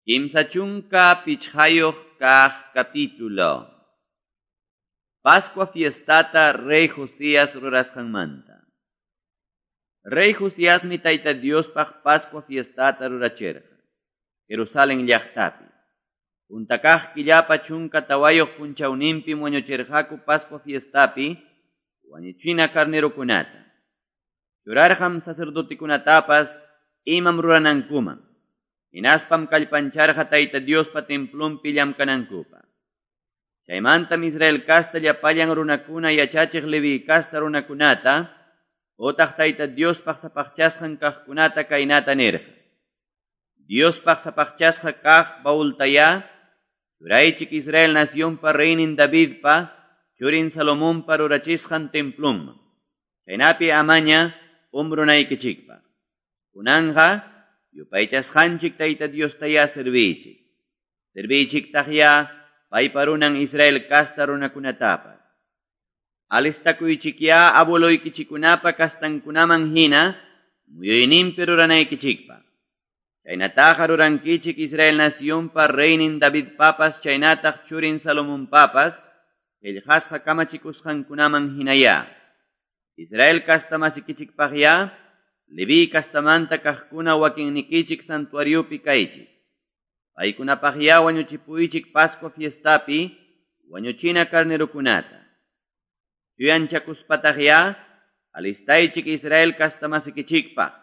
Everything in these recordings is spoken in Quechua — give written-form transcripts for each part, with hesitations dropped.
35 kaq capítulo. Pascua fiestata Rey Josías rurasqanmanta. Rey Josiasmi Tayta Diospaq Pascua fiestata rurachirqa Jerusalén llaqtapi. Punta kaq killapa 14 punchawninpim wañuchirqaku Pascua fiestapi wañuchina carnerokunata. Churarqam sacerdotekunatapas imam ruranankuman. Hinaspam kallpancharqa Tayta Diospa templonpi llamkanankupaq. Chaymantam Israel casta llapallan runakuna yachachiq Leví casta runakunata otaq Tayta Diospaq sapaqchasqan kaqkunata kaynata nirqa. Diospaq sapaqchasqa kaq baultaya churaychik Israel nacionpa reynin Davidpa churin Salomonpa rurachisqan templonman. Chaynapi amaña umbrunaykichikpaq. Kunanqa yupaychasqanchik Tayta Diostaya serviychik. Serviychiktaqya paypa runan Israel casta runakunatapas. Alistakuychikya abueloykichikunapa kastankunaman hina muyuyninpi ruranaykichikpaq. Chaynataqa rurankichik Israel nacionpa reynin Davidpapas chaynataq churin Salomonpapas qillqasqa kamachikusqankunaman hinaya. Israel casta masikichikpaqya Leví castamanta kaqkuna wakinnikichik santuariopi kaychik. Paykunapaqya wañuchipuychik Pascua fiestapi wañuchina carnerokunata. Chuyanchakuspataqya alistaychik Israel castamasikichikpaq.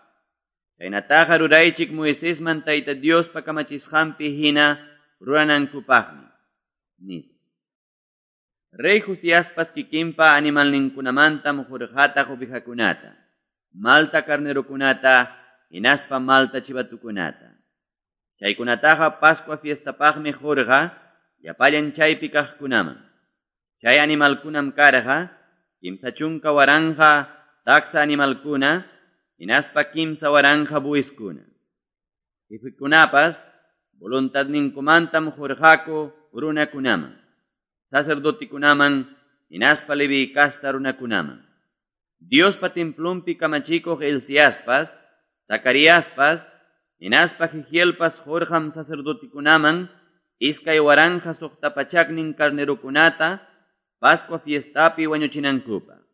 Chaynataqa ruraychik Moisesman Tayta Diospa kamachisqanpi hina ruranankupaqmi. Nispa. Rey Josiaspas kikinpa animalninkunamantam hurqataq ovejakunata, malta carnerokunata, hinaspa malta chivatukunata. Chaykunataqa Pascua fiestapaqmi hurqa llapallan chaypi kaqkunaman. Chay animalkunam karqa 30,000 taksa animalkuna, hinaspa 3,000 buiskuna. Jefekunapas voluntadninkumantam hurqaku runakunaman, sacerdotikunaman, hinaspa Leví casta runakunaman. Diospa templonpi kamachikuq Hilciaspas, Zacariaspas, hinaspa Jehielpas hurqam sacerdotikunaman 2,600 carnerokunata Pascua fiestapi wañuchinankupaq.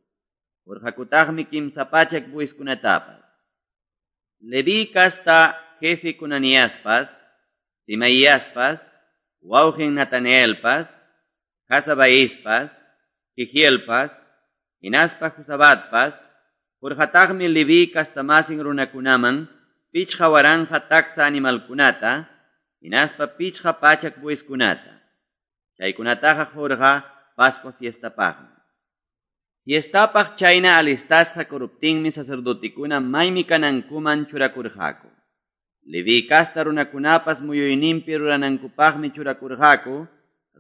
Hurqakutaqmi 300 buiskunatapas. Leví casta jefe Conaniaspas, Simaiaspas, wawqin Natanaelpas, Hasabaispas, Jehielpas, hinaspa Josabatpas, hurqataqmi Leví castamasin runakunaman 5,000 taksa animalkunata, hinaspa 500 buiskunata. Chaykunataqa hurqa Pascua fiestapaqmi. Fiestapaq chayna alistasqa kuruptinmi sacerdotekuna maymi kanankuman churakurqaku. Leví casta runakunapas muyuyninpi ruranankupaqmi churakurqaku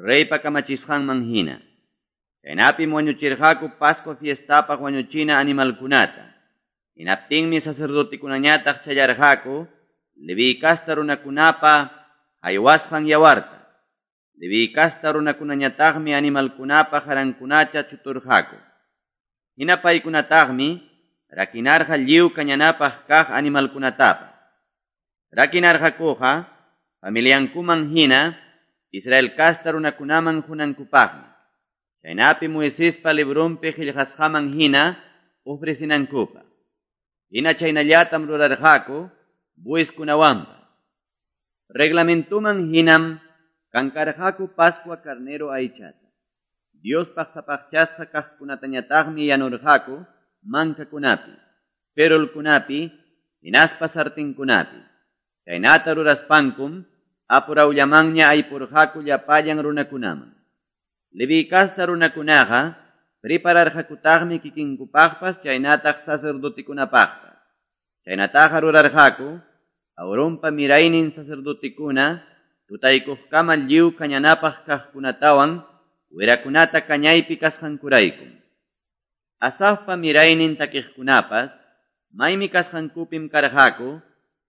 reypa kamachisqanman hina. Chaynapim wañuchirqaku Pascua fiestapaq wañuchina animalkunata. Hinaptinmi sacerdotekunañataq challarqaku Leví casta runakunapa haywasqan yawarta. Leví casta runakunañataqmi animalkunapa harankunata chuturqaku. Hina paykunataqmi rakinarqa lliw kañanapaq kaq animalkunatapas. Rakinarqakuqa familiankuman hina Israel casta runakunaman hunankupaqmi. Chaynapi Moisespa librunpi qillqasqaman hina ofrecinankupaq. Hina chaynallatam rurarqaku buiskunawanpas. Reglamentuman hinam kankarqaku Pascua carnero aychata. Diospaq sapaqchasqa kaqkunatañataqmi yanurqaku mankakunapi, perolkunapi, hinaspa sartinkunapi. Chaynata ruraspankum apurawllamanña aypurqaku llapallan runakunaman. Leví casta runakunaqa prepararqakutaqmi kikinkupaqpas chaynataq sacerdotekunapaqpas. Chaynataqa rurarqaku Aaronpa miraynin sacerdotekuna tutaykuqkama lliw kañanapaq kaqkunatawan wirakunata kañaypi kasqankuraykum. Asafpa miraynin takiqkunapas maymi kasqankupim karqaku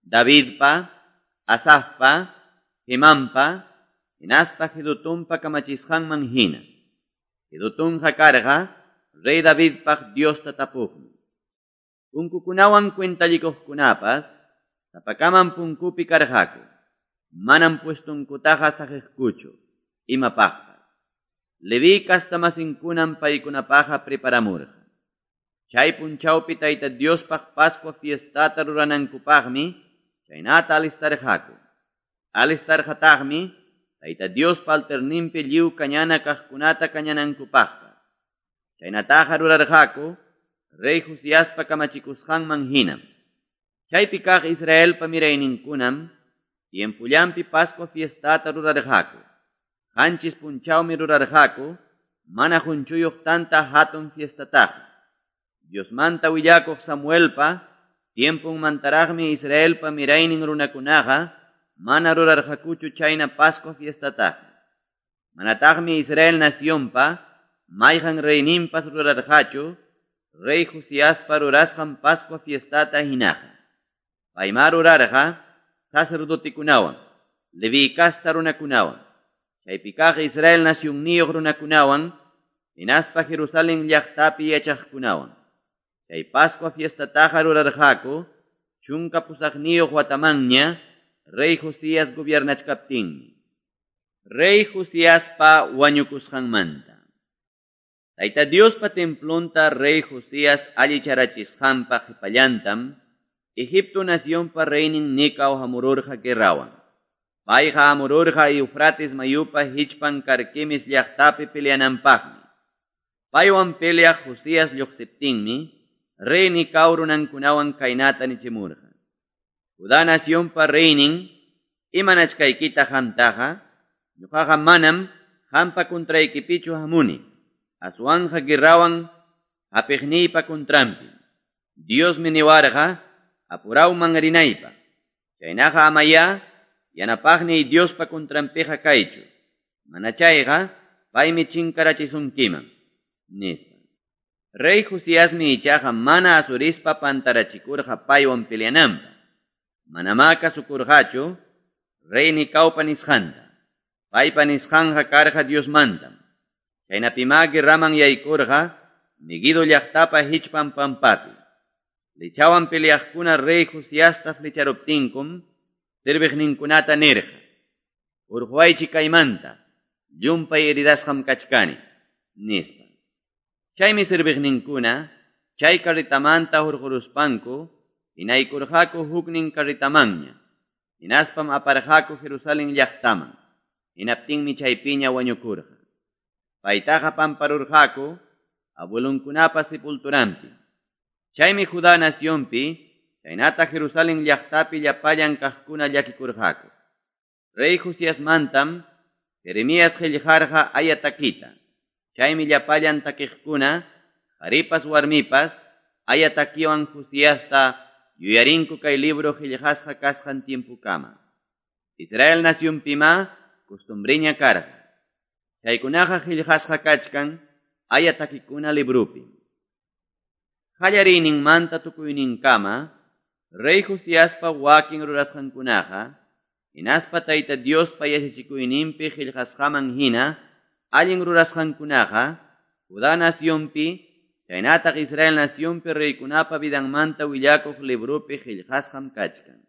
Davidpa, Asafpa, Hemanpa, hinaspa Jedutunpa kamachisqanman hina. Jedutunqa karqa rey Davidpaq Diosta tapuqmi. Punkukunawan cuentallikuqkunapas sapakaman punkupi karqaku. Manam puestonkutaqa saqeqkuchu imapaqpas. Leviy castamasinkunam paykunapaqqa preparamurqa. Chay punchawpi Tayta Diospaq Pascua fiestata ruranankupaqmi chaynata alistarqaku. Alistarqataqmi Tayta Diospa altarninpi lliw kañana kaqkunata kañanankupaqpas. Chaynataqa rurarqaku Rey Josiaspa kamachikusqanman hinam. Chaypi kaq Israelpa mirayninkunam tiempullanpi Pascua fiestata rurarqaku. 7 punchawmi rurarqaku mana qunchuyuq tanta hatun fiestataqa. Diosmanta willakuq Samuelpa tiempunmantaraqmi Israelpa miraynin runakunaqa mana rurarqakuchu chayna Pascua fiestataqa. Manataqmi Israel nacionpa mayqan reyninpas rurarqachu Rey Josiaspa rurasqan Pascua fiestata hinaqa. Paymá rurarqa sacerdotekunawan, Leví casta runakunawan, chaypi kaq Israel nacionniyuq runakunawan, hinaspa Jerusalén llaqtapi yachaqkunawan. Chay Pascua fiestataqa rurarqaku 18 watamanña Rey Josías gobiernachkaptinmi. Rey Josiaspa wañukusqanmanta. Tayta Diospa templonta Rey Josías allicharachisqanpa qhipallantam Egipto nacionpa reynin Necao hamururqa guerrawan. Payqa hamururqa Eufrates mayupa hichpan Carquemis llaqtapi peleananpaqmi. Paywan peleaq Josías lluqsiptinmi Rey Necao runankunawan kaynata nichimurqa: Judá nacionpa reynin, imanachkaykita qamtaqa, ñuqaqa manam qampa contraykipichu hamuni. Aswanja guerrawan hapiqniypa contranpi. Diosmi niwarqa apurawman rinaypaq. Chaynaqa amaya yanapaqniy Diospa contranpiqa kaychu. Mana chayqa paymi chinkarachisunkiman, nispa. Rey Josiasmi ichaqa mana asurispa pantarachikurqa paywan peleananpaq. Manamá kasukurqachu Rey Necaupa nisqanta. Paypa nisqanqa karqa Diosmantam. Chaynapimá guerraman yaykurqa Meguido llaqtapa hichpan pampapi. Flechawan peleaqkuna Rey Josiasta flecharuptinkum serviqninkunata nirqa: Urquwaychik kaymanta, llumpay heridasqam kachkani, nispa. Chaymi serviqninkuna chay carretamanta hurquruspanku hinaykurqaku huknin carretamanña. Hinaspam aparqaku Jerusalén llaqtaman. Hinaptinmi chaypiña wañukurqa. Paytaqa pamparurqaku abuelunkunapa sepulturanpi. Chaymi Judá nacionpi chaynata Jerusalén llaqtapi llapallan kaqkuna llakikurqaku. Rey Josiasmantam Jeremías qillqarqa aya takita. Chaymi llapallan takiqkuna, qharipas warmipas, aya takiwan Josiasta yuyarinku kay libro qillqasqa kasqan tiempukama. Israel nacionpimá costumbriña karqa. Chaykunaqa qillqasqa kachkan aya takikuna librupi. Qallariyninmanta tukuyninkama Rey Josiaspa wakin rurasqankunaqa hinaspa Tayta Diospa yachachikuyninpi qillqasqaman hina allin rurasqankunaqa Judá nacionpi chaynataq Israel nacionpi reykunapa vidanmanta willakuq librupi qillqasqam kachkan.